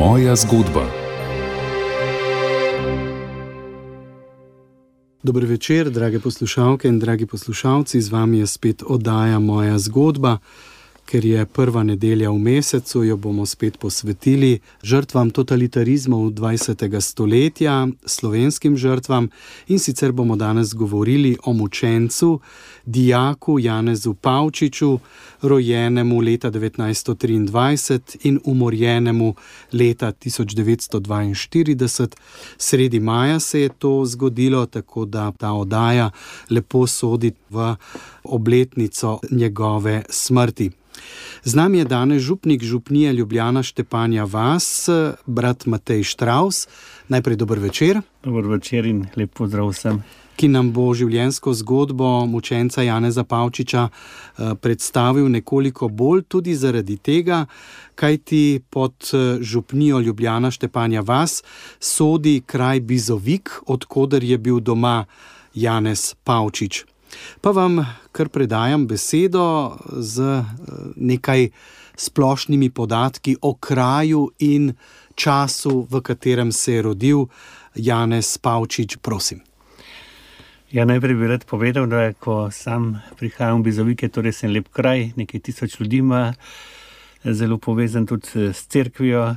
Moja zgodba. Dober večer, drage poslušalke in dragi poslušalci, z vami je spet oddaja Moja zgodba. Ker je prva nedelja v mesecu, jo bomo spet posvetili žrtvam totalitarizmov 20. stoletja, slovenskim žrtvam, in sicer bomo danes govorili o mučencu, dijaku Janezu Pavčiču, rojenemu leta 1923 in umorjenemu leta 1942. Sredi maja se je to zgodilo, tako da ta oddaja lepo sodi v obletnico njegove smrti. Z nami je danes župnik župnije Ljubljana Štepanja vas, brat Matej Štravs. Najprej dober večer. Dober večer in lep pozdrav vsem. Ki nam bo življenjsko zgodbo mučenca Janeza Pavčiča predstavil nekoliko bolj tudi zaradi tega, kajti pod župnijo Ljubljana Štepanja vas sodi kraj Bizovik, od koder je bil doma Janez Pavčič. Pa vam kar predajam besedo z nekaj splošnimi podatki o kraju in času, v katerem se je rodil Janez Pavčič. Prosim. Ja, najprej bi rad povedal, da ko sam prihajam v Bizovike, torej sem lep kraj, nekaj 1000 ljudi ima, zelo povezan tudi s cerkvijo,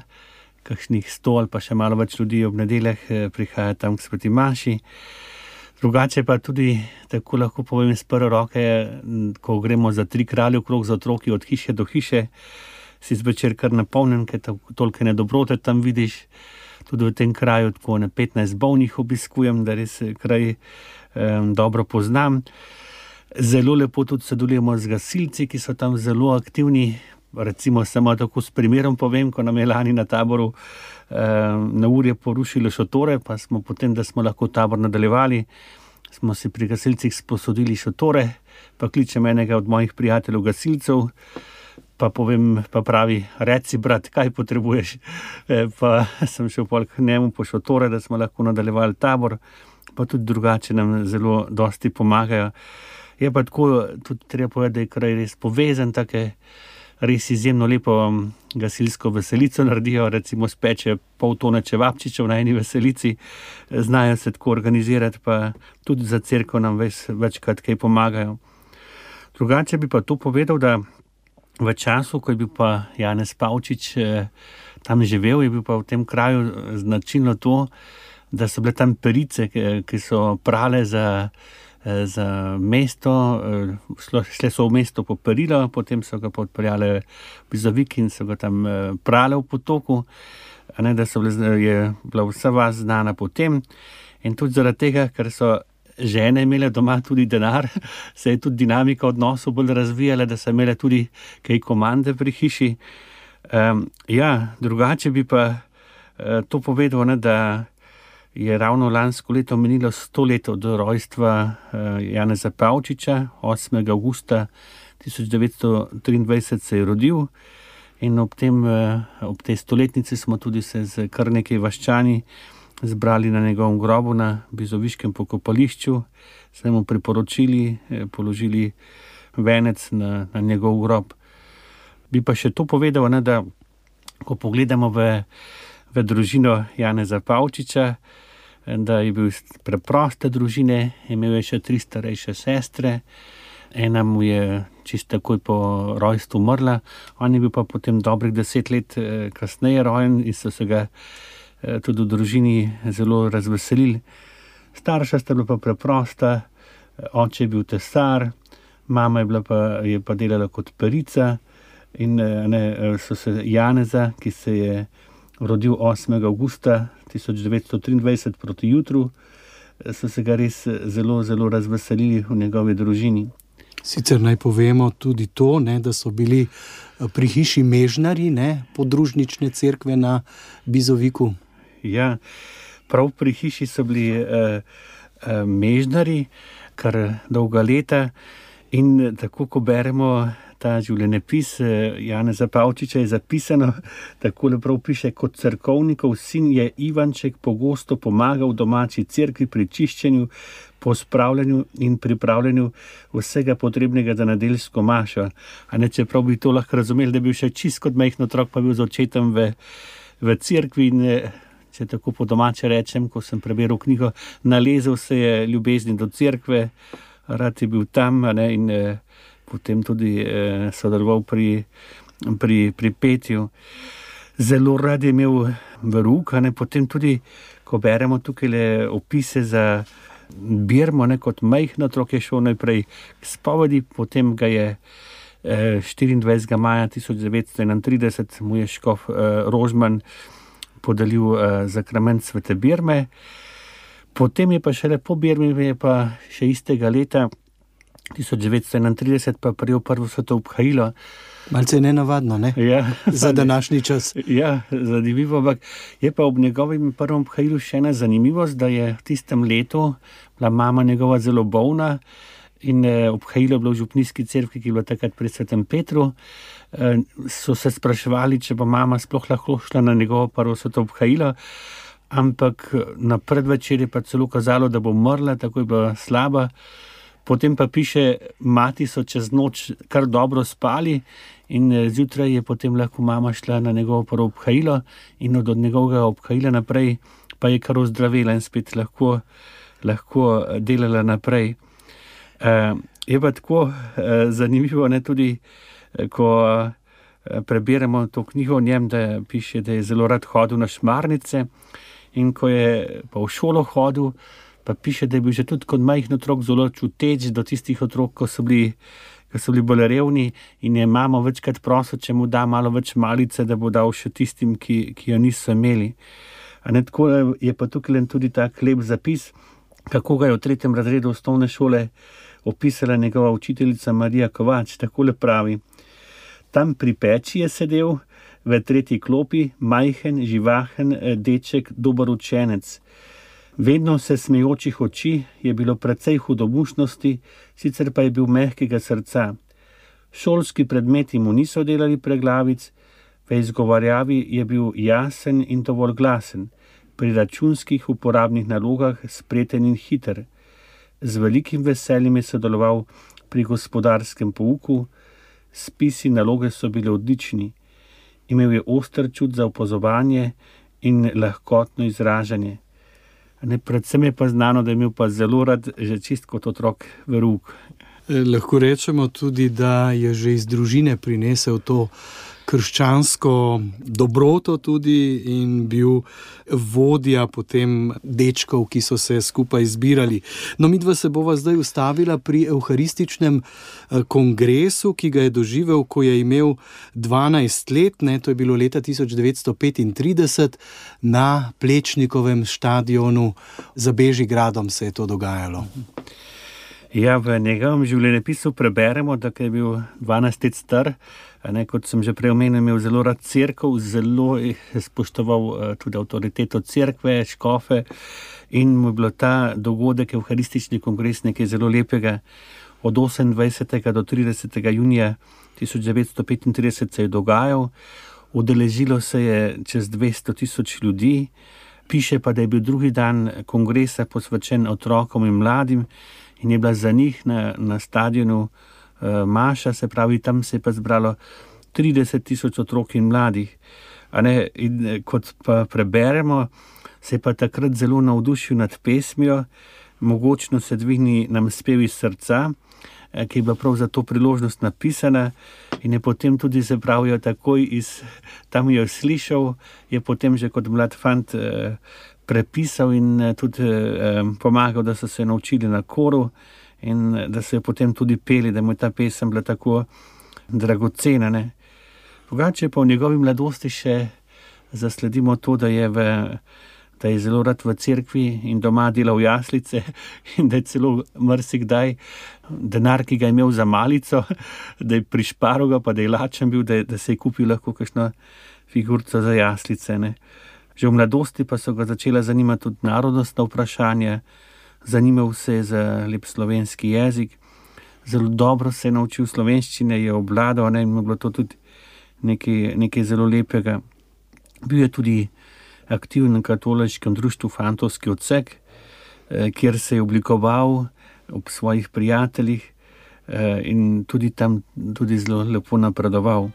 kakšnih 100 ali pa še malo več ljudi ob nedeljah prihaja tam k sveti maši. Drugače pa tudi, tako lahko povem iz prve roke, ko gremo za 3 kralje okrog za otroki od hiše do hiše, si zvečer kar napolnjen, ker toliko nedobrote tam vidiš. Tudi v tem kraju tako 15 bolnih obiskujem, da res kraj dobro poznam. Zelo lepo tudi sodelujemo z gasilci, ki so tam zelo aktivni. Recimo samo tako s primerom povem, ko nam je lani na taboru na urje porušili šotore, pa smo potem, da smo lahko tabor nadaljevali, smo si pri gasilcih sposodili šotore, pa kličem enega od mojih prijateljev gasilcev, pa povem, pa pravi, reci brat, kaj potrebuješ, pa sem šel k njemu po šotore, da smo lahko nadaljevali tabor, pa tudi drugače nam zelo dosti pomagajo. Je pa tako, tudi treba povedati, da je kraj res povezan, take res izjemno lepo gasilsko veselico naredijo, recimo speče pol tone čevapčičev na eni veselici, znajo se tako organizirati, pa tudi za cerkev nam večkrat kaj pomagajo. Drugače bi pa to povedal, da v času, ko je bil pa Janez Pavčič tam živel, je bil pa v tem kraju značilno to, da so bile tam perice, ki so prale za mesto, šle so v mesto po perilo, potem so ga podpeljale v Bizovik in so ga tam prale v potoku, da je bila vsa vas znana potem. In tudi zaradi tega, ker so žene imele doma tudi denar, se je tudi dinamika odnosov bolj razvijala, da so imele tudi kaj komande pri hiši. Drugače bi pa to povedal, da je ravno lansko leto minilo 100 let od rojstva Janeza Pavčiča, 8. avgusta 1923 se je rodil in ob tej stoletnici smo tudi se z kar nekaj vaščani zbrali na njegovem grobu na bizoviškem pokopališču, se mu priporočili, položili venec na njegov grob. Bi pa še to povedal, da ko pogledamo v družino Janeza Pavčiča, da je bil iz preproste družine, imel je še 3 starejše sestre, ena mu je čisto takoj po rojstvu umrla, on je bil pa potem dobrih 10 let kasneje rojen in so se ga tudi v družini zelo razveselili. Starša sta bila pa preprosta, oče je bil tesar, mama je pa delala kot perica in so se Janeza, ki se je rodil 8. avgusta 1923 proti jutru, so se ga res zelo, zelo razveselili v njegovi družini. Sicer naj povemo tudi to, da so bili pri hiši mežnari, podružnične cerkve na Bizoviku. Ja, prav pri hiši so bili mežnari kar dolga leta in tako, ko beremo ta življenjepis Janeza Pavčiča, je zapisano, takole prav piše, kot cerkovnikov sin je Ivanček pogosto pomagal domači cerkvi pri čiščenju, pospravljanju in pripravljanju vsega potrebnega za nedeljsko mašo. Čeprav bi to lahko razumeli, da je bil še čist kot majhen otrok, pa bil z očetom v cerkvi in če tako po domače rečem, ko sem preberal knjigo, nalezel se je ljubezni do cerkve, rad je bil tam, ne, in potem tudi sodeloval pri petju. Zelo rad je imel verouk, potem tudi, ko beremo tukaj opise za Birmo, kot majhno otrok je šel najprej k spovedi, potem ga je 24. maja 1931 mu je škof Rožman podelil zakrament svete Birme. Potem je pa šele po Birmi, je pa še istega leta 1931 pa prijel prvo sveto obhajilo. Malce nenavadno, ne? Ja. Za današnji čas. Ja, zanimivo, ampak je pa ob njegovem prvem obhajilu še ena zanimivost, da je v tistem letu bila mama njegova zelo bolna in obhajilo je bilo v župnijski cerkvi, ki je bila takrat pri svetem Petru. So se spraševali, če bo mama sploh lahko šla na njegovo prvo sveto obhajilo, ampak na predvečer je pa celo kazalo, da bo umrla, tako je bila slaba. Potem pa piše, mati so čez noč kar dobro spali in zjutraj je potem lahko mama šla na njegovo prvo obhajilo in od njegovega obhajila naprej pa je kar ozdravela in spet lahko delala naprej. Je pa tako zanimivo, ne, tudi ko preberemo to knjigo o njem, da piše, da je zelo rad hodil na šmarnice in ko je pa v šolo hodil, pa piše, da je bil že tudi kot majhen otrok zelo čuteč do tistih otrok, ko so bili bolj revni in je mamo večkrat prosil, če mu da malo več malice, da bo dal še tistim, ki jo niso imeli. Tako je pa tukaj tudi tak lep zapis, kako ga je v 3. razredu osnovne šole opisala njegova učiteljica Marija Kovač. Takole pravi: tam pri peči je sedel v 3. klopi majhen, živahen deček, dober učenec. Vedno se smejočih oči, je bilo precej hudomušnosti, sicer pa je bil mehkega srca. Šolski predmeti mu niso delali preglavic, v izgovarjavi je bil jasen in dovolj glasen, pri računskih uporabnih nalogah spreten in hiter. Z velikim veseljem je sodeloval pri gospodarskem pouku, spisi naloge so bile odlični. Imel je oster čut za opazovanje in lahkotno izražanje. Predvsem je pa znano, da je imel pa zelo rad že čist kot otrok verouk. Lahko rečemo tudi, da je že iz družine prinesel to krščansko dobroto tudi in bil vodja potem dečkov, ki so se skupaj zbirali. No, midva se bova zdaj ustavila pri evharističnem kongresu, ki ga je doživel, ko je imel 12 let, to je bilo leta 1935, na Plečnikovem štadionu za Bežigradom se je to dogajalo. Ja, v njegovem življenjepisu preberemo, da je bil 12 let star, kot sem že prej omenil, imel zelo rad cerkev, zelo spoštoval tudi avtoriteto cerkve, škofe in mu je bilo ta dogodek, evharistični kongres, nekaj zelo lepega. Od 28. do 30. junija 1935 se je dogajal, udeležilo se je čez 200 000 ljudi, piše pa, da je bil drugi dan kongresa posvečen otrokom in mladim in je bila za njih na stadionu maša, se pravi, tam se je pa zbralo 30 000 otrok in mladih. In kot pa preberemo, se je pa takrat zelo navdušil nad pesmijo, mogočno se dvigni nam spev iz srca, ki je bila prav za to priložnost napisana in je potem tudi, se pravijo, takoj tam jo slišal, je potem že kot mlad fant prepisal in tudi pomagal, da so se naučili na koru in da so jo potem tudi peli, da mu je ta pesem bila tako dragocena. Drugače pa v njegovi mladosti še zasledimo to, da je zelo rad v cerkvi in doma delal jaslice in da je celo marsikdaj denar, ki ga je imel za malico, da je prišparal ga, pa da je lačen bil, da se je kupil lahko kakšno figurco za jaslice. Že v mladosti pa so ga začela zanimati tudi narodnostna vprašanja, zanimal se je za lep slovenski jezik, zelo dobro se je naučil slovenščine, je obvladal in mu je bilo to tudi nekaj zelo lepega. Bil je tudi aktiven v katoliškem društvu Fantovski odsek, kjer se je oblikoval ob svojih prijateljih in tudi tam zelo lepo napredoval.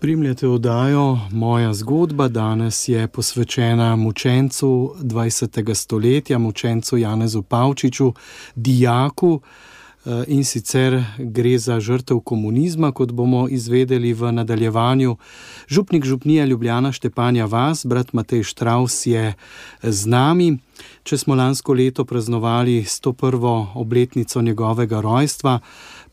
Spremljate oddajo Moja zgodba. Danes je posvečena mučencu 20. stoletja, mučencu Janezu Pavčiču, dijaku, in sicer gre za žrtev komunizma, kot bomo izvedeli v nadaljevanju. Župnik župnije Ljubljana Štepanja vas, brat Matej Štravs, je z nami. Če smo lansko leto praznovali 101. obletnico njegovega rojstva,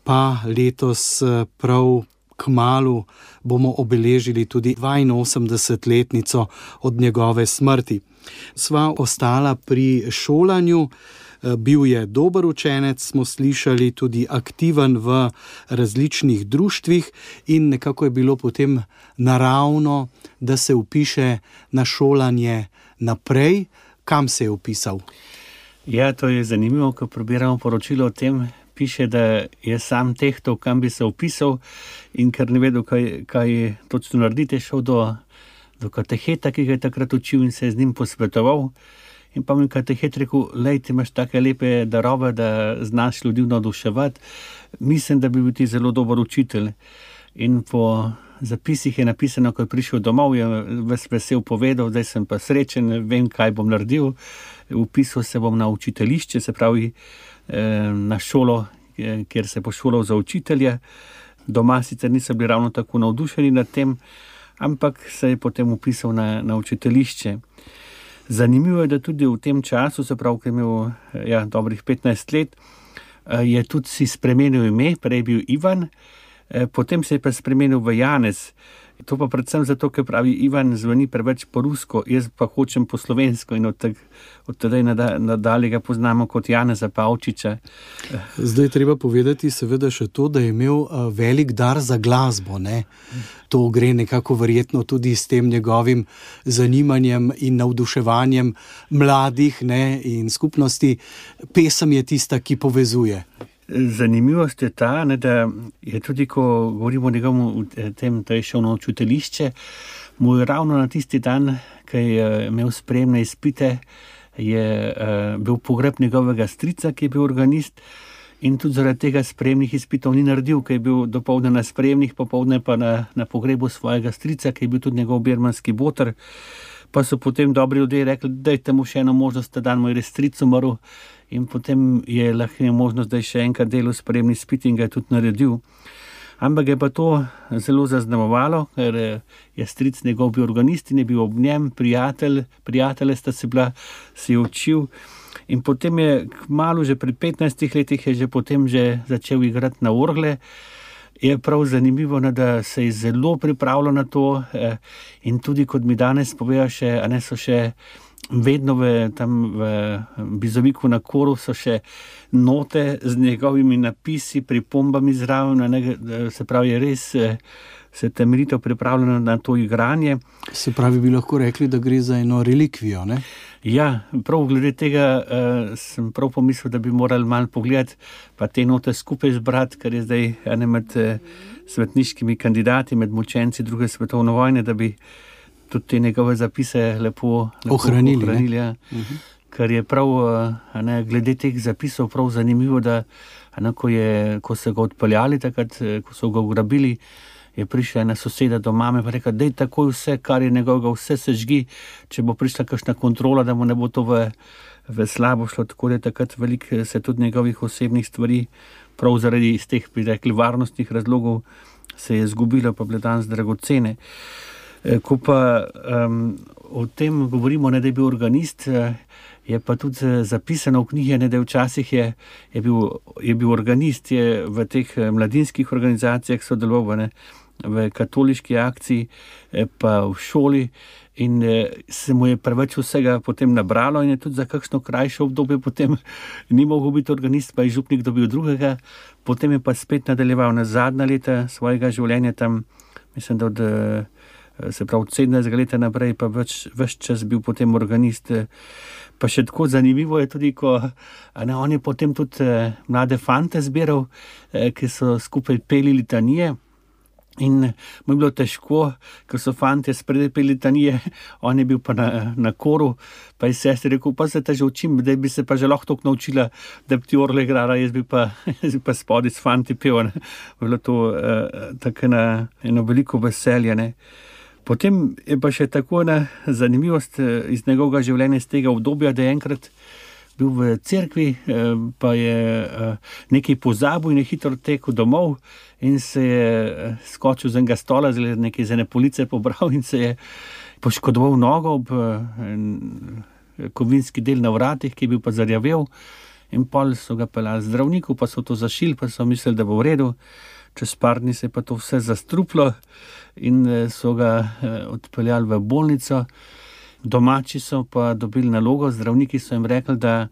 pa letos prav kmalu bomo obeležili tudi 82-letnico od njegove smrti. Sva ostala pri šolanju. Bil je dober učenec, smo slišali, tudi aktiven v različnih društvih in nekako je bilo potem naravno, da se vpiše na šolanje naprej. Kam se je vpisal? Ja, to je zanimivo, ko prebiramo poročilo o tem. Piše, da je sam tehtal, kam bi se vpisal, in ker ne vedel, kaj točno narediti, šel do kateheta, ki ga je takrat učil, in se je z njim posvetoval. In pa mi katehet rekel: lej, ti imaš take lepe darove, da znaš ljudi navduševati, mislim, da bi bil ti zelo dober učitelj. In po zapisih je napisano, ko je prišel domov, je ves vesel povedal: zdaj sem pa srečen, vem, kaj bom naredil. Vpisal se bom na učiteljišče, se pravi na šolo, kjer se bo šolal za učitelja. Doma sicer niso bili ravno tako navdušeni nad tem, ampak se je potem vpisal na učiteljišče. Zanimivo je, da tudi v tem času, se pravi, ko je imel dobrih 15 let, je tudi si spremenil ime, prej je bil Ivan, potem se je pa spremenil v Janez. To pa predvsem zato, ker pravi, Ivan zveni preveč po rusko, jaz pa hočem po slovensko, in od tedaj nadalje ga poznamo kot Janeza Pavčiča. Zdaj treba povedati seveda še to, da je imel velik dar za glasbo, ne? To gre nekako verjetno tudi s tem njegovim zanimanjem in navduševanjem mladih, ne, in skupnosti. Pesem je tista, ki povezuje. Zanimivost je ta, da je tudi, ko govorimo o njegovem tem, da je šel na učiteljišče, mu je ravno na tisti dan, ki je imel sprejemne izpite, je bil pogreb njegovega strica, ki je bil organist, in tudi zaradi tega sprejemnih izpitov ni naredil, ki je bil dopoldne na sprejemnih, popoldne pa na pogrebu svojega strica, ki je bil tudi njegov birmanski boter. Pa so potem dobri ljudje rekli: dajte mu še eno možnost, ta dan mu je res stric umrl. In potem je lahko imel možnost, da je še enkrat delal sprejemni izpit, in ga je tudi naredil. Ampak je pa to zelo zaznamovalo, ker je stric njegov bil organist in je bil ob njem prijatelje sta se bila, si je učil. In potem je kmalu, že pri 15 letih, je že potem že začel igrati na orgle. Je prav zanimivo, da se je zelo pripravljal na to, in tudi, kot mi danes povejo še, so še vedno tam v Bizoviku na Koru so še note z njegovimi napisi, pripombami zraven, se pravi, je res se temeljito pripravljeno na to igranje. Se pravi, bi lahko rekli, da gre za eno relikvijo, ne? Ja, prav glede tega sem prav pomislil, da bi morali malo pogledati, pa te note skupaj zbrati, ker je zdaj ene med svetniškimi kandidati, med mučenci druge svetovne vojne, da bi tudi te njegove zapise lepo ohranili. Ja. Ker je prav glede teh zapisov prav zanimivo, da ko so ga odpeljali takrat, ko so ga ugrabili, je prišla ena soseda do mame pa rekla: daj takoj vse, kar je njegovega, vse sežgi, če bo prišla kakšna kontrola, da mu ne bo to v slabo šlo. Tako da takrat veliko se tudi njegovih osebnih stvari, prav zaradi iz teh, bi rekli, varnostnih razlogov, se je izgubilo, pa bile danes dragocene. Ko pa o tem govorimo, da je bil organist, je pa tudi zapisano v knjigi, da včasih je bil organist, je v teh mladinskih organizacijah sodeloval, v katoliški akciji, pa v šoli, in se mu je preveč vsega potem nabralo, in je tudi za kakšno krajše obdobje potem ni mogel biti organist, pa je župnik dobil drugega. Potem je pa spet nadaljeval na zadnja leta svojega življenja tam, mislim, da od 17. leta naprej, pa ves čas bil potem organist. Pa še tako zanimivo je tudi, ko on je potem tudi mlade fante zbiral, ki so skupaj peli litanije. In mu je bilo težko, ker so fantje spredaj peli litanije, on je bil pa na koru, pa je sestri rekel, pa se te že učim, da bi se pa že lahko toliko naučila, da bi ti orle igrala, jaz bi pa spodaj s fanti pel, ne. Bilo to tako eno veliko veselje, ne. Potem je pa še tako ena zanimivost iz njegovega življenja, iz tega obdobja, da je enkrat bil v cerkvi, pa je nekaj pozabil in je hitro tekel domov in se je skočil z enega stola, nekaj z ene police pobral in se je poškodoval nogo ob kovinski del na vratih, ki je bil pa zarjavel, in pol so ga peljali zdravniku, pa so to zašili, pa so mislili, da bo v redu. Čez par dni se je pa to vse zastruplo in so ga odpeljali v bolnico. Domači so pa dobili nalogo, zdravniki so jim rekli, da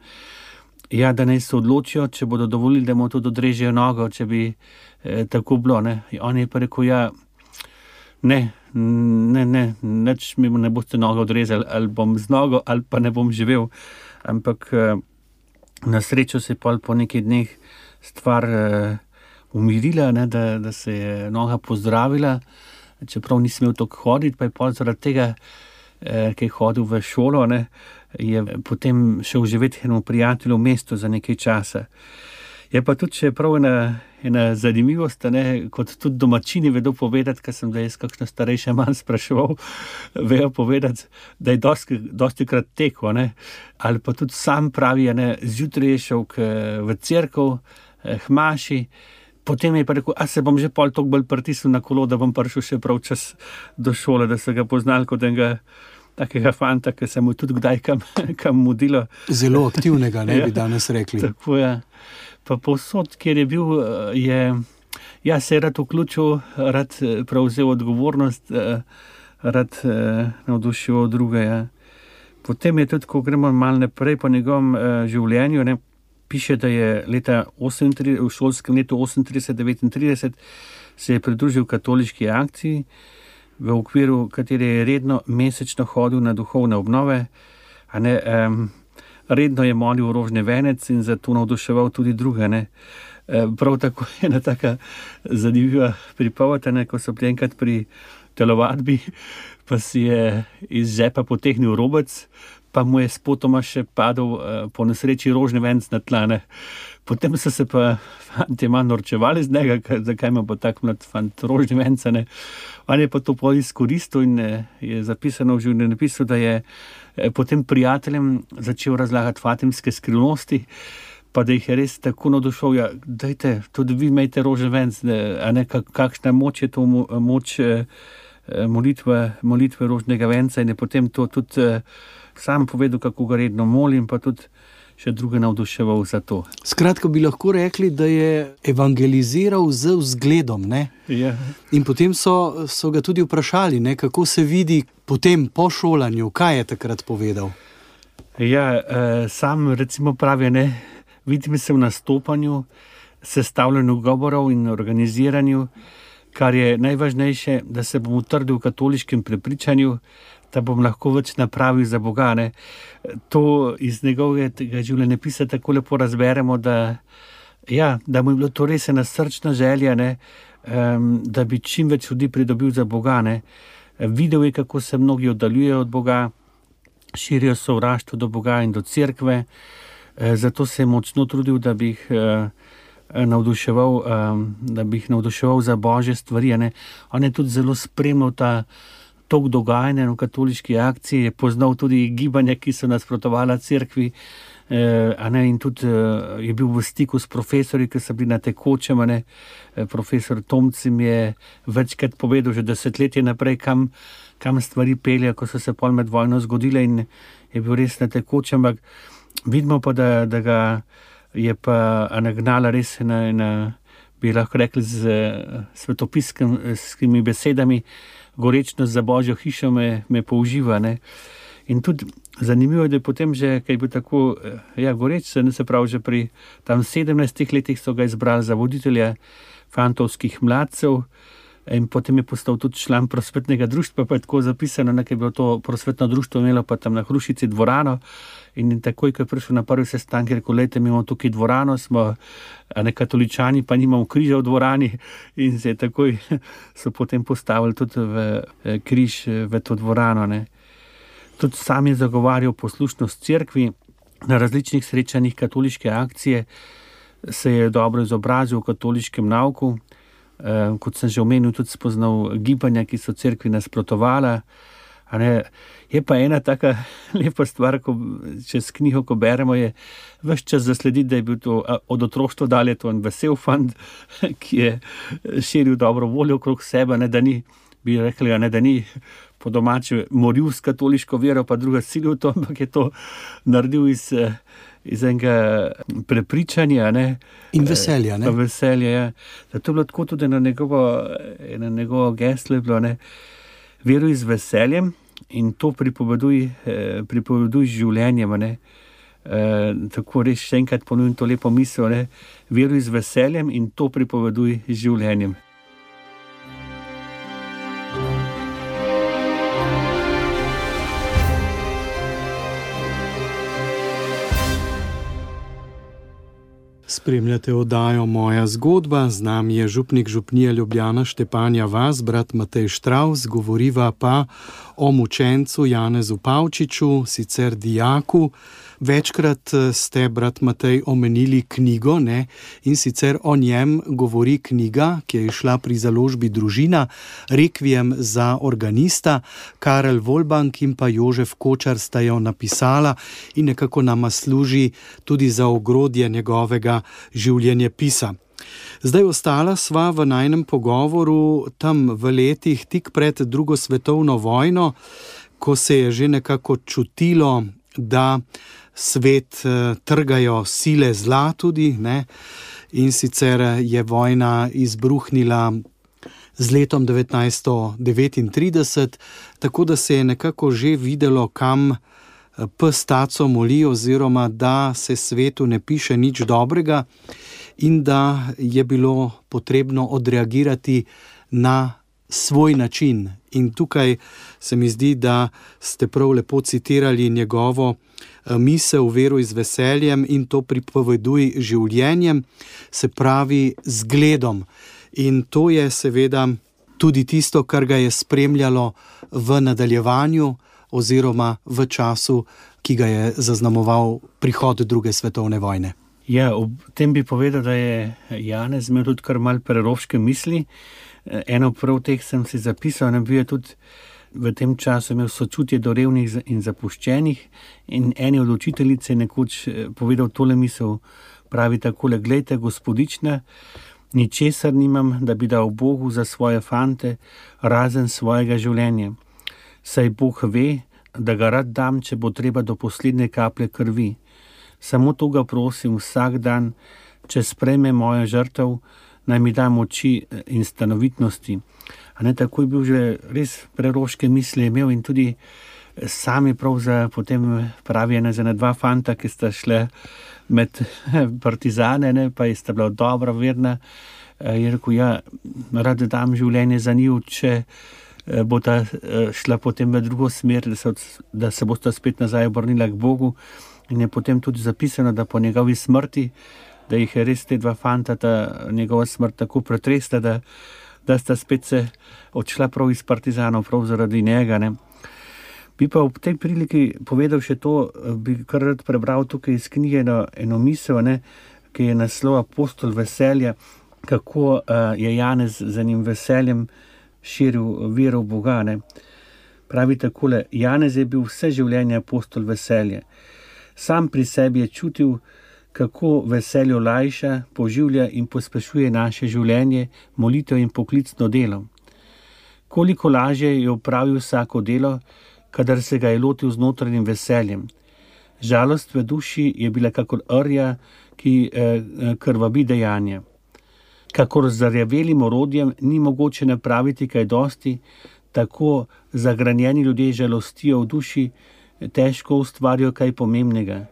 naj se odločijo, če bodo dovolili, da mu tudi odrežejo nogo, če bi tako bilo, ne. On je pa rekel, ne, nič mi ne boste nogo odrezali, ali bom z nogo, ali pa ne bom živel. Ampak na srečo se je pol po nekaj dneh stvar umirila, ne, da se je noga pozdravila, čeprav nisem imel toliko hoditi, pa je pol zaradi tega, ki je hodil v šolo, ne, je potem šel živeti enemu prijatelju v mesto za nekaj časa. Je pa tudi še prav ena zanimivost, ne, kot tudi domačini vedo povedati, ker sem da jaz kakšno starejše manj spraševal, vejo povedati, da je dostikrat tekel, ne, ali pa tudi sam pravi, ne, zjutraj je šel v cerkev, k maši, potem je pa rekel, se bom že pol toliko bolj pritisnil na kolo, da bom prišel še prav čas do šole, da so ga poznali kot enega takega fanta, ki se mu tudi kdaj kam mudilo. Zelo aktivnega, ne bi danes rekli. Tako je. Pa povsod, kjer je bil, se je rad vključil, rad prevzel odgovornost, rad navdušil druge. Potem je tudi, ko gremo malo naprej po njegovem življenju, ne, piše, da je v šolskem letu 38-39 se je pridružil katoliški akciji, v okviru katere je redno mesečno hodil na duhovne obnove, redno je molil rožni venec in zato navduševal tudi druge, ne. Prav tako je ena taka zanimiva pripoved, ko so bili enkrat pri telovadbi, pa si je iz žepa potegnil robec, pa mu je spotoma še padel po nesreči rožni venec na tla, ne. Potem so se pa fantje malo norčevali z njega, zakaj ima pa tak mlad fant rožni venec, ne. On je pa to pol izkoristil in je zapisano v življenjepisu, da je potem prijateljem začel razlagati fatimske skrivnosti, pa da jih je res tako navdušil, dajte, tudi vi imejte rožni venec, kakšna moč je to moč molitve rožnega venca, in je potem to tudi sam povedal, kako ga redno molim, pa tudi še druge navduševal za to. Skratka, bi lahko rekli, da je evangeliziral z vzgledom, ne? Ja. In potem so ga tudi vprašali, ne, kako se vidi potem po šolanju, kaj je takrat povedal? Sam recimo pravi, ne, vidim se v nastopanju, sestavljanju govorov in organiziranju, kar je najvažnejše, da se bom utrdil v katoliškem prepričanju, da bom lahko več napravil za Boga, ne. To iz njegovega življenjepisa tako lepo razberemo, da mu je bilo to res ena srčna želja, ne, da bi čim več ljudi pridobil za Boga, ne. Videl je, kako se mnogi oddaljujejo od Boga, širijo sovraštvo do Boga in do cerkve, zato se je močno trudil, da bi jih navduševal za božje stvari, ne. On je tudi zelo spremljal tok dogajanja v katoliški akciji, je poznal tudi gibanja, ki so nasprotovala cerkvi, in tudi je bil v stiku s profesorji, ki so bili na tekočem, profesor Tomci mi je večkrat povedal, že desetletje naprej, kam stvari pelje, ko so se pol med vojno zgodile, in je bil res na tekočem, ampak vidimo pa, da ga je pa nagnala res bi lahko rekli z svetopiskimi besedami, gorečnost za Božjo hišo me použiva, ne. In tudi zanimivo je, da je potem že, kaj je bil tako, goreč, se pravi, že pri tam 17 letih so ga izbrali za voditelja fantovskih mladcev, In potem je postal tudi član prosvetnega društva, pa je tako zapisano, ker je bilo to prosvetno društvo imelo pa tam na Hrušici dvorano. In takoj, ko je prišel na prvi sestanek, je rekel, lejte, mi imamo tukaj dvorano, smo katoličani, pa nimamo križa v dvorani. In se je takoj so potem postavili tudi v križ v to dvorano. Ne. Tudi sam je zagovarjal poslušnost cerkvi. Na različnih srečanjih katoliške akcije se je dobro izobrazil v katoliškem nauku. Kot sem že omenil, tudi spoznal gibanja, ki so cerkvi nasprotovala. Je pa ena taka lepa stvar, ko čez knjigo, ko beremo, je ves čas zaslediti, da je bil to od otroštva dalje to en vesel fant, ki je širil dobro voljo okrog sebe, ne, da ni, bi rekli, ne, da ni po domače moril s katoliško vero, pa druga silil to, ampak je to naredil iz enega prepričanja. Ne. In veselja. Ne? Veselja, ja. Zato je bilo tako tudi na njegovo geslo je bilo, ne, veruj z veseljem in to pripoveduj z življenjem. Ne. Tako res še enkrat ponovim to lepo misel, ne. Veruj z veseljem in to pripoveduj z življenjem. Spremljate oddajo Moja zgodba, z nami je župnik župnije Ljubljana Štepanja vas, brat Matej Štravs, govoriva pa o mučencu Janezu Pavčiču, sicer dijaku. Večkrat ste, brat Matej, omenili knjigo, ne? In sicer o njem govori knjiga, ki je išla pri založbi Družina, Rekviem za organista. Karel Volbank in pa Jožef Kočar sta jo napisala in nekako nama služi tudi za ogrodje njegovega življenjepisa. Zdaj ostala sva v najnem pogovoru tam v letih tik pred drugo svetovno vojno, ko se je že nekako čutilo, da svet trgajo sile zla tudi, ne? In sicer je vojna izbruhnila z letom 1939, tako da se je nekako že videlo, kam pes taco moli, oziroma da se svetu ne piše nič dobrega in da je bilo potrebno odreagirati na svoj način. In tukaj se mi zdi, da ste prav lepo citirali njegovo misel, veruj z veseljem in to pripoveduj življenjem, se pravi zgledom. In to je seveda tudi tisto, kar ga je spremljalo v nadaljevanju oziroma v času, ki ga je zaznamoval prihod druge svetovne vojne. Ja, ob tem bi povedal, da je Janez imel tudi kar malo preroške misli. Eno prav teh sem si zapisal, ne bil je tudi v tem času imel sočutje do revnih in zapuščenih in eni od učiteljice nekoč povedal tole misel, pravi takole, glejte, gospodična, ničesar nimam, da bi dal Bogu za svoje fante, razen svojega življenja. Saj Bog ve, da ga rad dam, če bo treba do poslednje kaplje krvi. Samo to ga prosim vsak dan, če sprejme mojo žrtev, naj mi da moči in stanovitnosti. A ne, tako je bil že res preroške misli imel in tudi sami prav za potem pravi ena za dva fanta, ki sta šle med partizane, ne, pa sta bila dobra, verna. Je rekel, ja, rad dam življenje za njih, če bo ta šla potem v drugo smer, da se bosta spet nazaj obrnila k Bogu. In je potem tudi zapisano, da po njegovi smrti, da jih je res te dva fanta, ta njegova smrt tako pretresla, da sta spet se odšla prav iz partizanov, prav zaradi njega. Ne. Bi pa ob tej priliki povedal še to, bi kar rad prebral tukaj iz knjige eno misel, ne, ki je naslov Apostol veselja, kako je Janez z enim veseljem širil vero v Boga. Ne. Pravi takole, Janez je bil vse življenje apostol veselja. Sam pri sebi je čutil, kako veselje olajša, poživlja in pospešuje naše življenje, molitev in poklicno delo. Koliko lažje je opravil vsako delo, kadar se ga je lotil z notranjim veseljem. Žalost v duši je bila kakor rja, ki krvavi dejanja. Kakor z zarjavelim orodjem ni mogoče napraviti kaj dosti, tako zagranjeni ljudje žalostijo v duši, težko ustvarijo kaj pomembnega.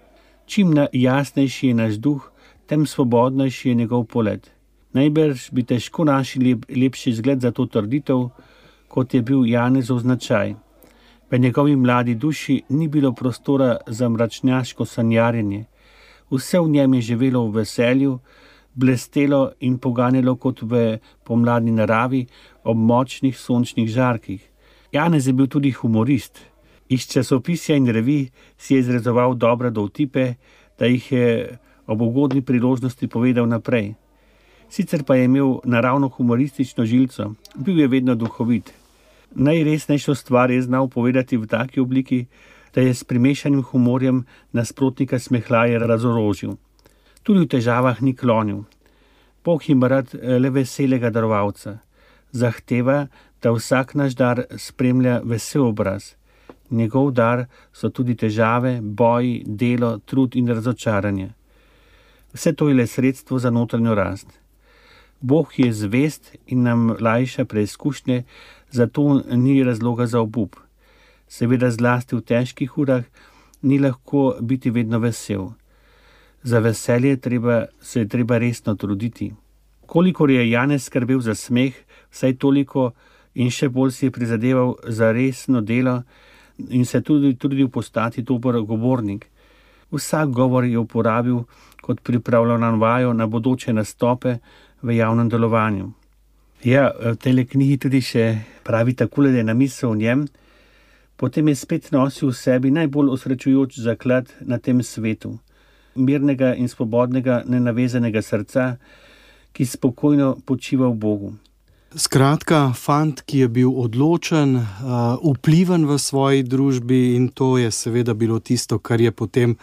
Čim jasnejši je naš duh, tem svobodnejši je njegov polet. Najbrž bi težko našli lepši zgled za to trditev, kot je bil Janezov značaj. V njegovi mladi duši ni bilo prostora za mračnjaško sanjarjenje. Vse v njem je živelo v veselju, blestelo in poganjalo kot v pomladni naravi ob močnih sončnih žarkih. Janez je bil tudi humorist. Iz časopisja in revij si je izrezoval dobre dovtipe, da jih je ob ugodni priložnosti povedal naprej. Sicer pa je imel naravno humoristično žilco, bil je vedno duhovit. Najresnejšo stvar je znal povedati v taki obliki, da je s primešanim humorjem nasprotnika smehljaje razorožil. Tudi v težavah ni klonil. Bog ima rad le veselega darovalca. Zahteva, da vsak naš dar spremlja vesel obraz. Njegov dar so tudi težave, boji, delo, trud in razočaranje. Vse to je le sredstvo za notranjo rast. Bog je zvest in nam lajša preizkušnje, zato ni razloga za obup. Seveda zlasti v težkih urah ni lahko biti vedno vesel. Za veselje se je treba resno truditi. Kolikor je Janez skrbel za smeh, vsaj toliko in še bolj si je prizadeval za resno delo in se tudi trudil postati dober govornik. Vsak govor je uporabil kot pripravljeno vajo na bodoče nastope v javnem delovanju. Ja, v tej knjigi tudi še pravi takole, da je namisel o njem, potem je spet nosil v sebi najbolj osrečujoč zaklad na tem svetu. Mirnega in svobodnega, nenavezanega srca, ki spokojno počiva v Bogu. Skratka, fant, ki je bil odločen, vpliven v svoji družbi, in to je seveda bilo tisto, kar je potem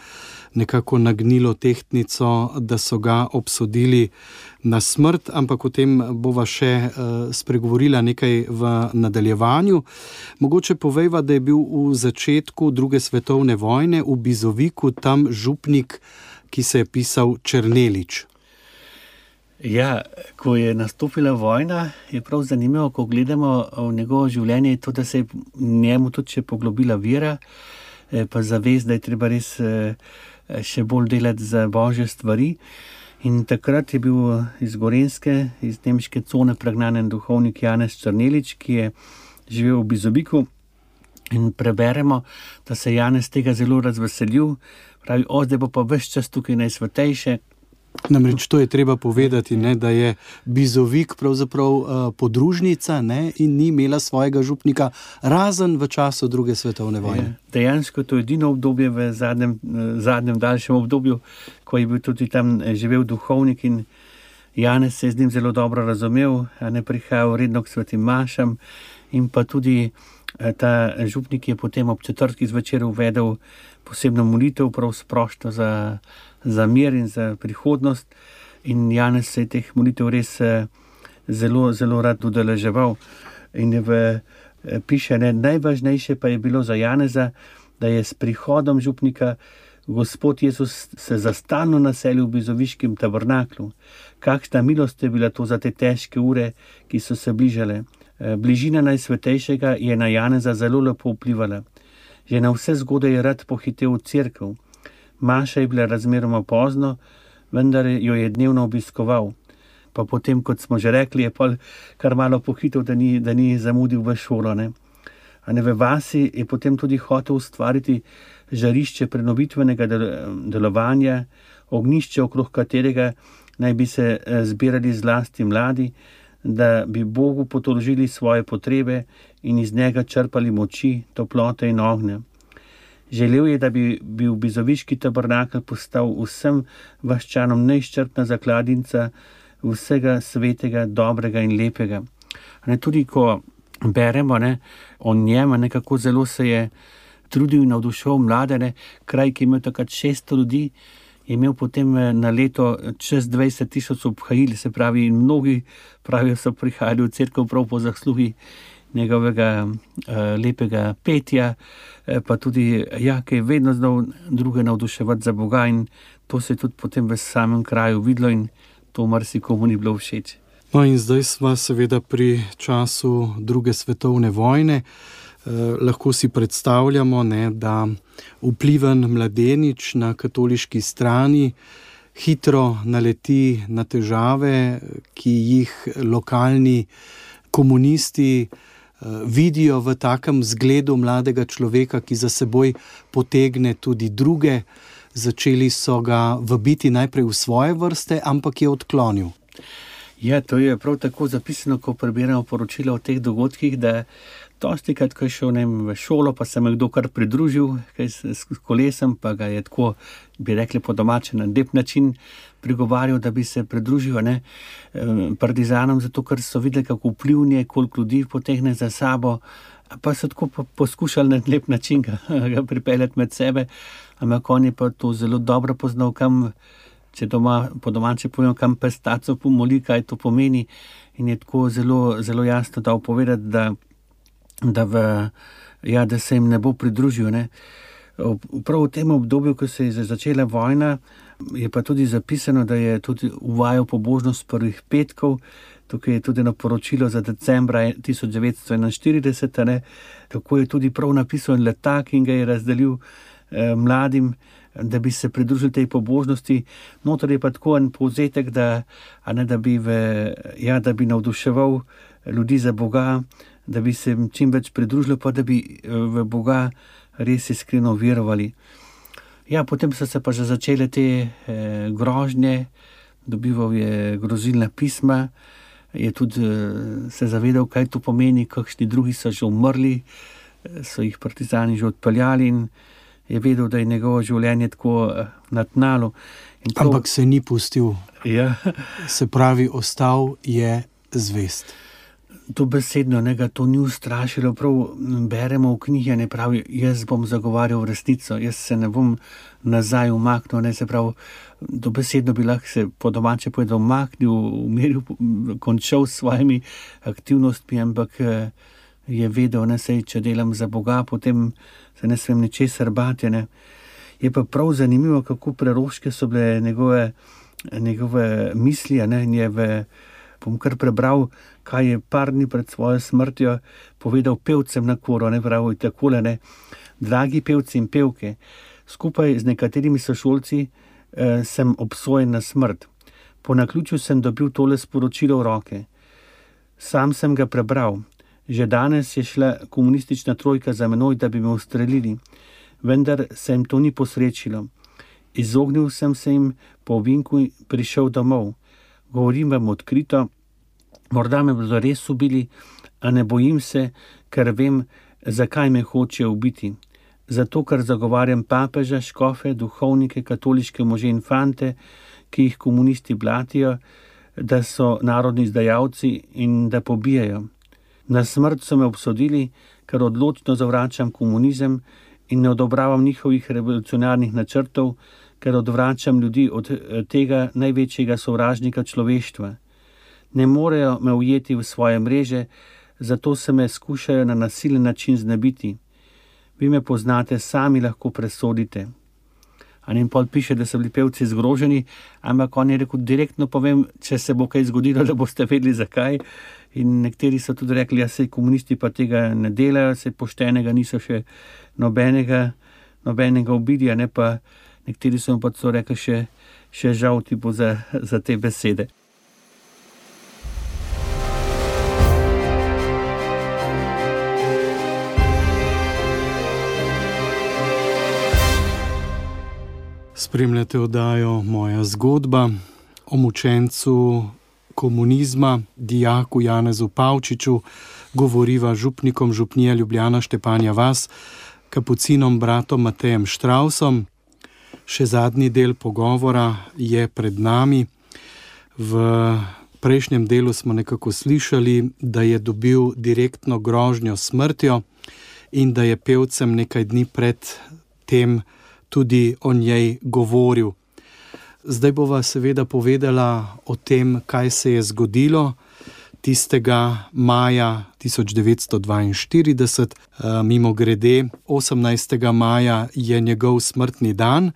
nekako nagnilo tehtnico, da so ga obsodili na smrt, ampak o tem bova še spregovorila nekaj v nadaljevanju. Mogoče povejva, da je bil v začetku druge svetovne vojne v Bizoviku tam župnik, ki se je pisal Černelič. Ja, ko je nastopila vojna, je prav zanimivo, ko gledamo v njegovo življenje, to, da se je njemu tudi še poglobila vera, pa zavest, da je treba res še bolj delati za božje stvari. In takrat je bil iz Gorenjske, iz nemške cone pregnanen duhovnik Janez Černelič, ki je živel v Bizoviku, in preberemo, da se Janez tega zelo razveselil, pravi, zdaj bo pa ves čas tukaj najsvetejše. Namreč to je treba povedati, ne, da je Bizovik pravzaprav podružnica, ne, in ni imela svojega župnika razen v času druge svetovne vojne. Dejansko to je edino obdobje v zadnjem daljšem obdobju, ko je bil tudi tam živel duhovnik, in Janez se je z njim zelo dobro razumel, ne prihajal redno k svetim mašam, in pa tudi ta župnik je potem ob četrtkih zvečer uvedel posebno molitev, prav sproščo za mir in za prihodnost, in Janez se je teh molitev res zelo, zelo rad udeleževal. In piše, najvažnejše pa je bilo za Janeza, da je s prihodom župnika Gospod Jezus se zastalno naselil v bizoviškem tabernaklu. Kakšna milost je bila to za te težke ure, ki so se bližale. Bližina Najsvetejšega je na Janeza zelo lepo vplivala. Že na vse zgode je rad pohitel v cerkev. Maša je bila razmeroma pozno, vendar jo je dnevno obiskoval. Pa potem, kot smo že rekli, je pa kar malo pohitel, da ni zamudil v šolo. V vasi je potem tudi hotel ustvariti žarišče prenovitvenega delovanja, ognjišče, okrog katerega naj bi se zbirali zlasti mladi, da bi Bogu potoložili svoje potrebe in iz njega črpali moči, toplote in ognja. Želel je, da bi bil bizoviški tabernakel postal vsem vaščanom neizčrpna zakladnica vsega svetega, dobrega in lepega. Tudi ko beremo o njem, kako zelo se je trudil in navduševal mlade, kraj, ki je imel takrat 600 ljudi, je imel potem na leto čez 20,000 obhajil, se pravi, in mnogi pravijo, so prihajali v cerkev prav po zaslugi njegovega lepega petja, pa tudi, ki je vedno znal druge navduševati za Boga, in to se je tudi potem v samem kraju videlo in to marsikomu ni bilo všeč. No, in zdaj sva seveda pri času druge svetovne vojne. Lahko si predstavljamo, da vpliven mladenič na katoliški strani hitro naleti na težave, ki jih lokalni komunisti vidijo v takem zgledu mladega človeka, ki za seboj potegne tudi druge. Začeli so ga vabiti najprej v svoje vrste, ampak je odklonil. Ja, to je prav tako zapisano, ko prebiramo poročila o teh dogodkih, da dostikrat, ko je šel v šolo, pa se je kdo kar pridružil s kolesem, pa ga je tako, bi rekli po domače, na lep način prigovarjal, da bi se pridružil partizanom, zato ker so videli, kako vplivnje, koliko ljudi potegne za sabo, pa so tako poskušali na lep način ga pripeljati med sebe, ampak on je pa to zelo dobro poznal, kam, če po domače povem, kam pes taco pomoli, kaj to pomeni, in je tako zelo, zelo jasno dal povedati, da se jim ne bo pridružil. Prav v tem obdobju, ko se je začela vojna, je pa tudi zapisano, da je tudi uvajal pobožnost prvih petkov. Tukaj je tudi eno poročilo za decembra 1941, kako je tudi prav napisal letak in ga je razdelil mladim, da bi se pridružili tej pobožnosti. Notor je pa tako en povzetek, da bi navduševal ljudi za Boga, da bi se čim več pridružili, pa da bi v Boga res iskreno verovali. Ja, potem so se pa že začele te grožnje, dobival je grozilna pisma, je tudi se zavedal, kaj to pomeni, kakšni drugi so že umrli, so jih partizani že odpeljali in je vedel, da je njegovo življenje tako na tnalu. Ampak se ni pustil. Ja. Se pravi, ostal je zvest. To besedno, ga to ni ustrašilo, prav beremo v knjigi, ne pravi, jaz bom zagovarjal resnico, jaz se ne bom nazaj umaknil, se pravi, to besedno bi lahko se po domače povedal umaknil, umiril, končal s svojimi aktivnostmi, ampak je vedel, če delam za Boga, potem se ne smem ničesar bati. Je pa prav zanimivo, kako preroške so bile njegove misli, in je bom kar prebral, kaj je par dni pred svojo smrtjo povedal pevcem na koru, pravi takole, dragi pevci in pevke, skupaj z nekaterimi sošolci sem obsojen na smrt. Po naključju sem dobil tole sporočilo v roke. Sam sem ga prebral. Že danes je šla komunistična trojka za menoj, da bi me ustrelili, vendar se jim to ni posrečilo. Izognil sem se jim, po ovinku prišel domov. Govorim vam odkrito, morda me bodo res ubili, a ne bojim se, ker vem, zakaj me hočejo ubiti. Zato, ker zagovarjam papeža, škofe, duhovnike, katoliške može in fante, ki jih komunisti blatijo, da so narodni izdajalci in da pobijajo. Na smrt so me obsodili, ker odločno zavračam komunizem in ne odobravam njihovih revolucionarnih načrtov, ker odvračam ljudi od tega največjega sovražnika človeštva. Ne morejo me ujeti v svoje mreže, zato se me skušajo na nasilen način znebiti. Vi me poznate, sami lahko presodite. In pol piše, da so bili pevci zgroženi, ampak on je rekel, direktno povem, če se bo kaj zgodilo, da boste vedeli zakaj. In nekateri so tudi rekli, ja, sej komunisti pa tega ne delajo, sej poštenega niso še nobenega ubili, pa nekateri so pa so rekli še žal ti bo za te besede. Spremljate oddajo Moja zgodba o mučencu komunizma, dijaku Janezu Pavčiču, govoriva župnikom župnije Ljubljana Štepanja vas, kapucinom bratom Matejem Štravsom. Še zadnji del pogovora je pred nami. V prejšnjem delu smo nekako slišali, da je dobil direktno grožnjo smrtjo in da je pevcem nekaj dni pred tem tudi o njej govoril. Zdaj bova seveda povedala o tem, kaj se je zgodilo tistega maja 1942. Mimogrede, 18. maja je njegov smrtni dan.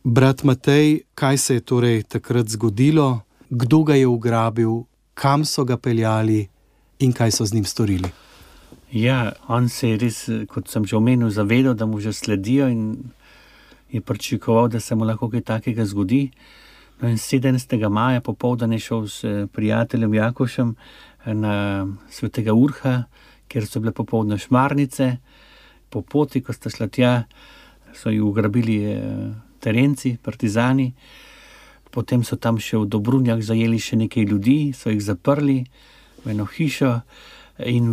Brat Matej, kaj se je torej takrat zgodilo? Kdo ga je ugrabil? Kam so ga peljali? In kaj so z njim storili? Ja, on se je res, kot sem že omenil, zavedal, da mu že sledijo in je pričakoval, da se mu lahko kaj takega zgodi. No in 17. maja popoldan je šel s prijateljem Jakošem na Svetega Urha, kjer so bile popoldne šmarnice. Po poti, ko sta šla tja, so ju ugrabili terenci, partizani. Potem so tam še v Dobrunjah zajeli še nekaj ljudi, so jih zaprli v eno hišo in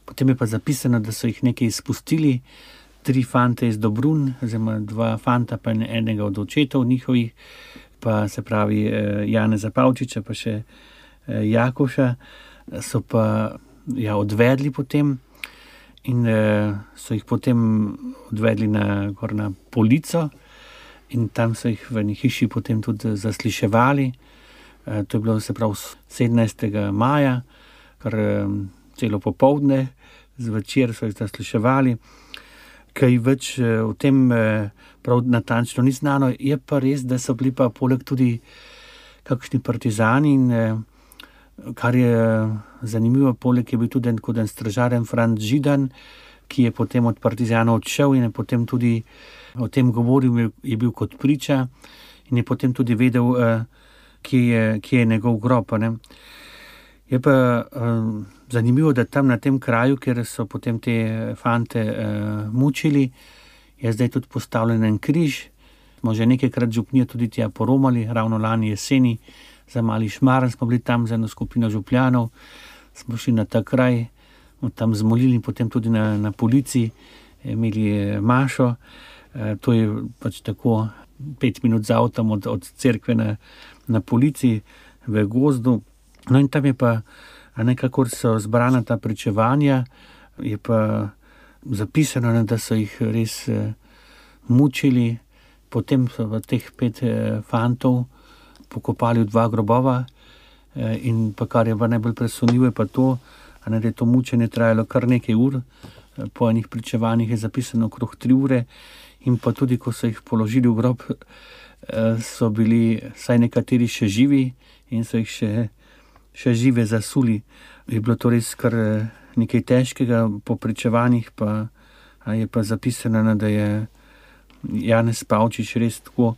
potem je pa zapisano, da so jih nekaj izpustili, 3 fante iz Dobrun, oziroma 2 fanta pa enega od očetov njihovih, pa se pravi Janeza Pavčiča pa še Jakoša, so pa odvedli potem in so jih potem odvedli na Polico in tam so jih v eni hiši potem tudi zasliševali. To je bilo, se pravi, 17. maja, kar celo popoldne, zvečer so jih zasliševali. Kaj več o tem prav natančno ni znano, je pa res, da so bili pa poleg tudi kakšni partizani in kar je zanimivo, poleg je bil tudi en stražar Franc Židan, ki je potem od partizanov odšel in je potem tudi o tem govoril, je bil kot priča in je potem tudi vedel, kje je njegov grob. Ne. Je pa zanimivo, da tam na tem kraju, kjer so potem te fante mučili, je zdaj tudi postavljen en križ. Smo že nekajkrat župnijo tudi tja poromali, ravno lani jeseni, za Mali Šmarn smo bili tam z eno skupino župljanov, smo šli na ta kraj, tam zmolili, potem tudi na Polici, imeli mašo. To je pač tako 5 minut z avtom od cerkve na Polici v gozdu. No in tam je pa nekako so zbrana ta pričevanja, je pa zapisano, da so jih res mučili. Potem so teh 5 fantov pokopali v 2 grobova in pa kar je pa najbolj presunljivo, je pa to, da je to mučenje trajalo kar nekaj ur. Po enih pričevanjih je zapisano okrog 3 ure in pa tudi, ko so jih položili v grob, so bili vsaj nekateri še živi in so jih še žive zasuli. Je bilo to res kar nekaj težkega, po pričevanjih pa je pa zapisano, da je Janez Pavčič res tako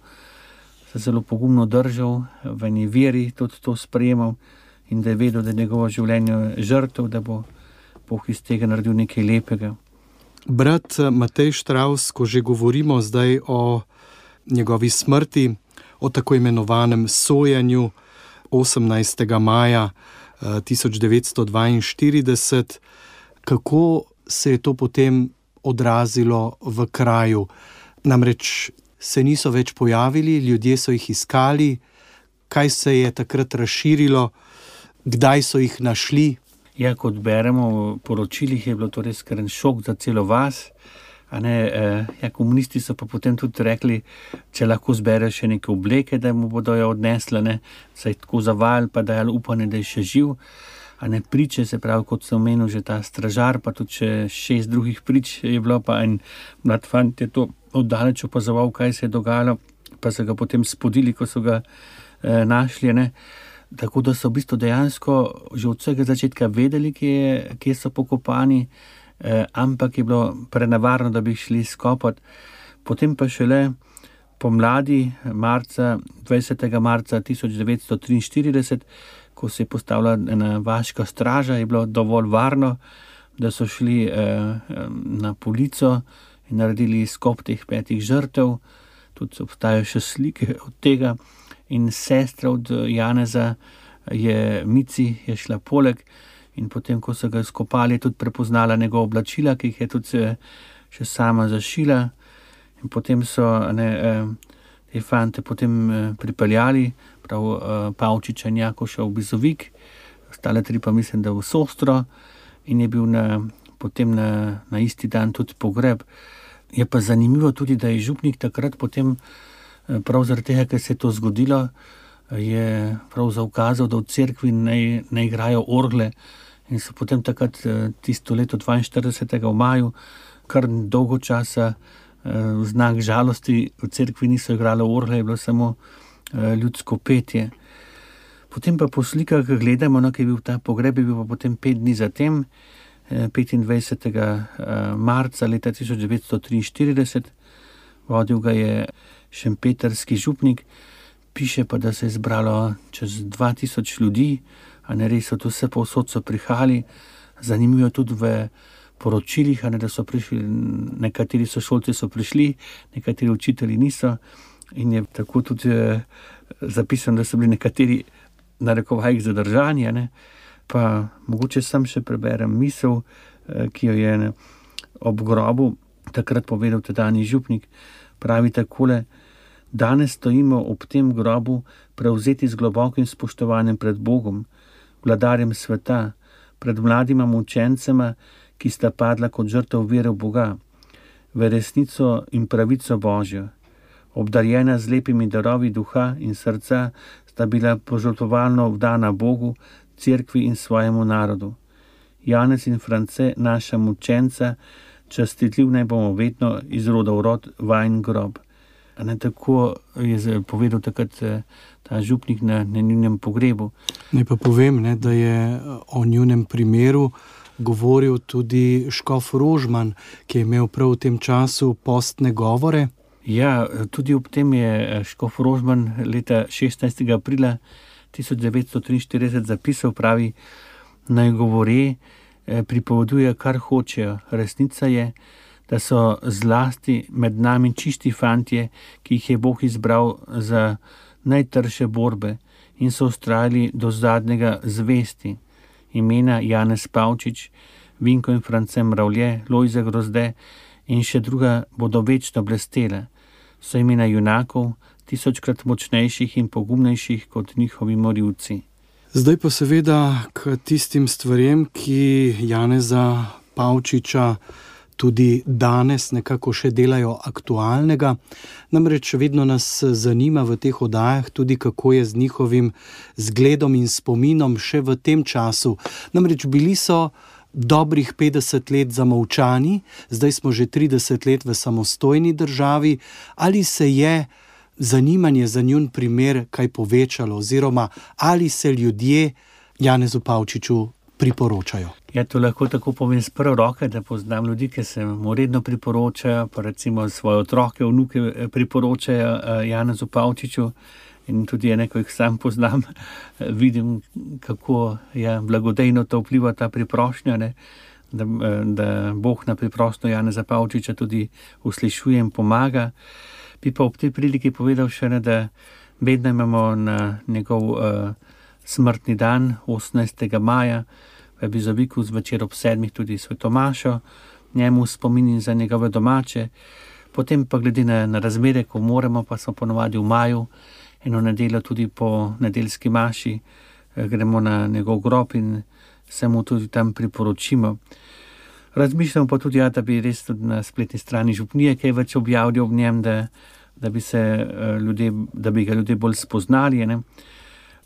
se zelo pogumno držal, v eni veri tudi to sprejemal in da je vedel, da je njegovo življenje žrtev, da bo Bog iz tega naredil nekaj lepega. Brat Matej Štravs, ko že govorimo zdaj o njegovi smrti, o tako imenovanem sojenju 18. maja 1942, kako se je to potem odrazilo v kraju? Namreč se niso več pojavili, ljudje so jih iskali, kaj se je takrat razširilo, kdaj so jih našli? Ja, kot beremo v poročilih, je bilo to res kar en šok za celo vas. Komunisti so pa potem tudi rekli, če lahko zbere še neke obleke, da mu bodo jo odnesle, saj tako zavajali, pa dajali upanje, da je še živ. Priče, se pravi, kot sem omenil, že ta stražar, pa tudi še 6 drugih prič je bilo, pa en mlad fant je to oddaleč opazoval, kaj se je dogajalo, pa so ga potem spodili, ko so ga našli. Tako da so v bistvu dejansko že od vsega začetka vedeli, kje so pokopani, ampak je bilo prenevarno, da bi šli skopati. Potem pa šele pomladi, 20. marca 1943, ko se je postavila ena vaška straža, je bilo dovolj varno, da so šli na Polico in naredili skop teh 5 žrtev. Tudi obstajajo še slike od tega. In sestra od Janeza Mici je šla poleg in potem, ko so ga skopali, je tudi prepoznala njegova oblačila, ki jih je tudi še sama zašila. In potem so te fante potem pripeljali, prav Pavčiča in Jakoša v Bizovik, ostale 3 pa mislim, da v Sostro, in je bil potem na isti dan tudi pogreb. Je pa zanimivo tudi, da je župnik takrat potem prav zaradi tega, ker se je to zgodilo, je prav zaukazal, da v cerkvi ne igrajo orgle in so potem takrat tisto leto 42. v maju kar dolgo časa v znak žalosti v cerkvi niso igrali orgle, je bilo samo ljudsko petje. Potem pa po slikah gledamo, ki je bil ta pogreb, je bil pa potem 5 dni zatem, 25. marca leta 1943, vodil ga je šempetrski župnik Piše pa, da se je zbralo čez 2000 ljudi, a ne res so tu vse povsod so prihajali. Zanimivo tudi v poročilih, da so prišli, nekateri sošolci so prišli, nekateri učitelji niso. In je tako tudi zapisano, da so bili nekateri na narekovajih zadržani. Ne. Pa mogoče sam še preberem misel, ki jo je ob grobu takrat povedal tedanji župnik. Pravi takole: danes stojimo ob tem grobu prevzeti z globokim spoštovanjem pred Bogom, vladarjem sveta, pred mladima mučencema, ki sta padla kot žrtev vere v Boga, v resnico in pravico Božjo. Obdarjena z lepimi darovi duha in srca sta bila požrtvovalno vdana Bogu, cerkvi in svojemu narodu. Janez in France, naša mučenca, častitljiv naj bomo vedno iz roda v rod, vajin grob. Tako je povedal takrat ta župnik na njunem pogrebu. Naj pa povem, da je o njunem primeru govoril tudi škof Rožman, ki je imel prav v tem času postne govore. Ja, tudi ob tem je škof Rožman leta 16. aprila 1943 zapisal, pravi: naj govore, pripoveduje, kar hočejo. Resnica je, da so zlasti med nami čisti fantje, ki jih je Bog izbral za najtrše borbe in so vztrajali do zadnjega zvesti. Imena Janez Pavčič, Vinko in France Mravlje, Lojze Grozde in še druga bodo večno blestela. So imena junakov, 1000-krat močnejših in pogumnejših kot njihovi morilci. Zdaj pa seveda k tistim stvarem, ki Janeza Pavčiča tudi danes nekako še delajo aktualnega. Namreč vedno nas zanima v teh oddajah tudi, kako je z njihovim zgledom in spominom še v tem času. Namreč bili so dobrih 50 let zamolčani, zdaj smo že 30 let v samostojni državi. Ali se je zanimanje za njun primer kaj povečalo, oziroma ali se ljudje Janezu Pavčiču priporočajo? Ja, to lahko tako povem z prve roke, da poznam ljudi, ki se mu redno priporočajo, pa recimo svoje otroke, vnuke priporočajo Janezu Pavčiču. In tudi ko jih sam poznam, vidim, kako je blagodejno to vpliva ta priprošnja, da Bog na priprošnjo Janeza Pavčiča tudi uslišuje in pomaga. Bi pa ob tej priliki povedal še, da vedno imamo na njegov smrtni dan, 18. maja, v Bizoviku zvečer ob 7. tudi svetomašo, njemu spomin za njegove domače. Potem pa glede na razmere, ko moramo, pa smo ponovadi v maju, eno nedeljo tudi po nedeljski maši, gremo na njegov grob in se mu tudi tam priporočimo. Razmišljamo pa tudi, da bi res tudi na spletni strani župnije kaj več objavili ob njem, da bi ga ljudje bolj spoznali.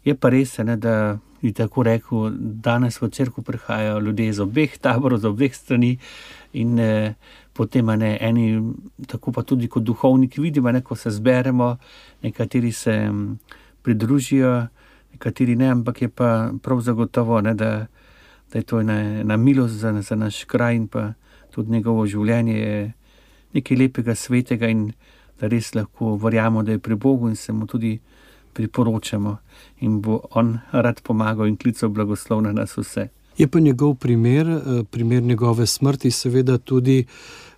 Je pa res, da bi tako rekel, danes v cerkev prihajajo ljudje iz obeh taborov, z obeh strani in potem eni, tako pa tudi kot duhovniki vidimo, ko se zberemo, nekateri se pridružijo, nekateri ne, ampak je pa prav zagotovo, da je to ena milost za naš kraj in pa tudi njegovo življenje je nekaj lepega, svetega in da res lahko verjamemo, da je pri Bogu in se mu tudi priporočamo in bo on rad pomagal in klical blagoslov na nas vse. Je pa njegov primer njegove smrti seveda tudi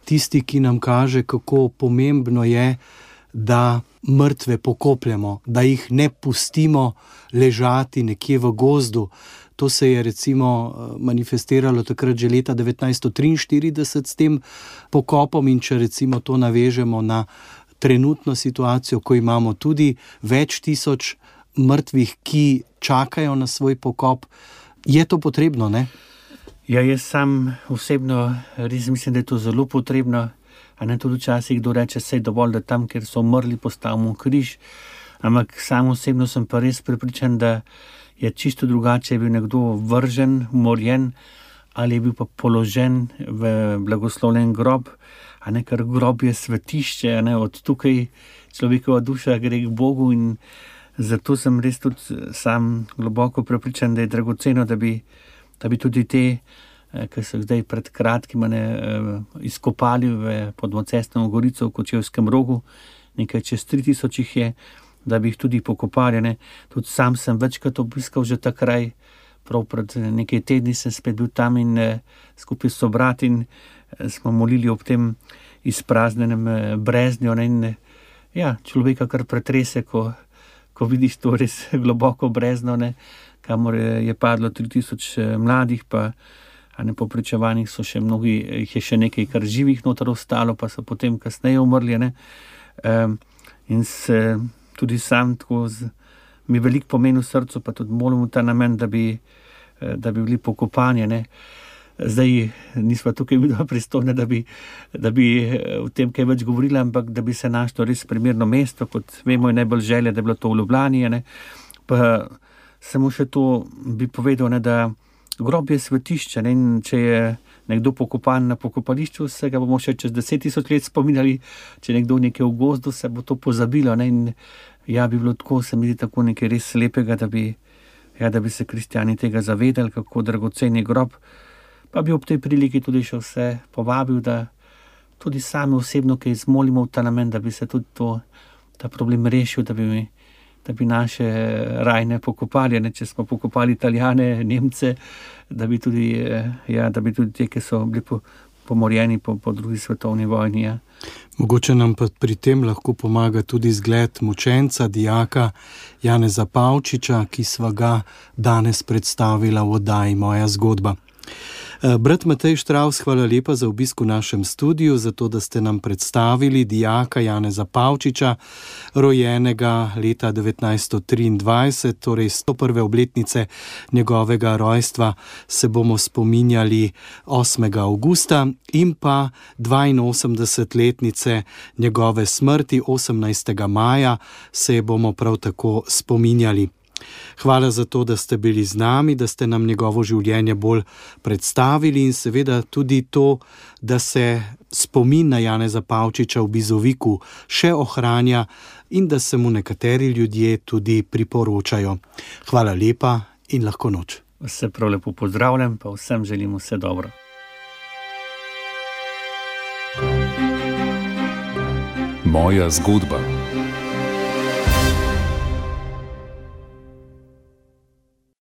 tisti, ki nam kaže, kako pomembno je, da mrtve pokopljamo, da jih ne pustimo ležati nekje v gozdu. To se je recimo manifestiralo takrat že leta 1943 s tem pokopom in če recimo to navežemo na trenutno situacijo, ko imamo tudi več tisoč mrtvih, ki čakajo na svoj pokop, je to potrebno, ne? Ja, jaz sam osebno res mislim, da je to zelo potrebno. A ne tudi včasih kdo reče, saj dovolj, da tam, kjer so umrli, postavimo križ. Ampak sam osebno sem pa res prepričan, da je čisto drugače, je bil nekdo vržen, umorjen ali je bil pa položen v blagoslovljen grob. Ker grob je svetišče, od tukaj človekova duša gre k Bogu in zato sem res tudi sam globoko prepričan, da je dragoceno, da bi tudi te, ki so zdaj pred kratkim izkopali pod Mocestno gorico v Kočevskem Rogu, nekaj čez 3000 jih je, da bi jih tudi pokopali, ne. Tudi sam sem večkrat obiskal že ta kraj, prav pred nekaj tedni sem spet bil tam in skupaj s sobrati in smo molili ob tem izpraznjenem breznju, ne, in ja, človeka kar pretrese, ko vidiš to res globoko brezno, ne, kamor je padlo 3000 mladih, pa po pričevanjih so še mnogi, jih je še nekaj kar živih noter ostalo, pa so potem kasneje umrli, ne. In se tudi sam tako mi veliko pomeni v srcu, pa tudi molim v ta namen, da bi bili pokopani, ne. Zdaj nisva tukaj vidva pristojna, da bi o tem kaj več govorila, ampak da bi se našlo res primerno mesto, kot vemo, je najbolj želja, da je bilo to v Ljubljani, ne. Pa samo še to bi povedal, ne, da grob je svetišče, ne, in če je nekdo pokopan na pokopališču, se ga bomo še čez 10 000 let spominjali, če nekdo nekje v gozdu, se bo to pozabilo, ne, in ja, bi bilo tako, se mi zdi tako nekaj res lepega, da bi se kristjani tega zavedali, kako dragocen je grob, pa bi ob tej priliki tudi še vse povabil, da tudi sami osebno kaj zmolimo v ta namen, da bi se tudi ta problem rešil, da bi naše rajne pokopali, ne, če smo pokopali Italijane, Nemce, da bi tudi te, ki so bili pomorjeni po drugi svetovni vojni. Ja. Mogoče nam pa pri tem lahko pomaga tudi zgled mučenca, dijaka Janeza Pavčiča, ki sva ga danes predstavila v oddaji Moja zgodba. Brat Matej Štravs, hvala lepa za obisk v našem studiu, za to, da ste nam predstavili dijaka Janeza Pavčiča, rojenega leta 1923, torej 101. obletnice njegovega rojstva se bomo spominjali 8. avgusta in pa 82-letnice njegove smrti 18. maja se bomo prav tako spominjali. Hvala za to, da ste bili z nami, da ste nam njegovo življenje bolj predstavili in seveda tudi to, da se spomin na Janeza Pavčiča v Bizoviku še ohranja in da se mu nekateri ljudje tudi priporočajo. Hvala lepa in lahko noč. Vse prav lepo pozdravljam, pa vsem želim vse dobro. Moja zgodba.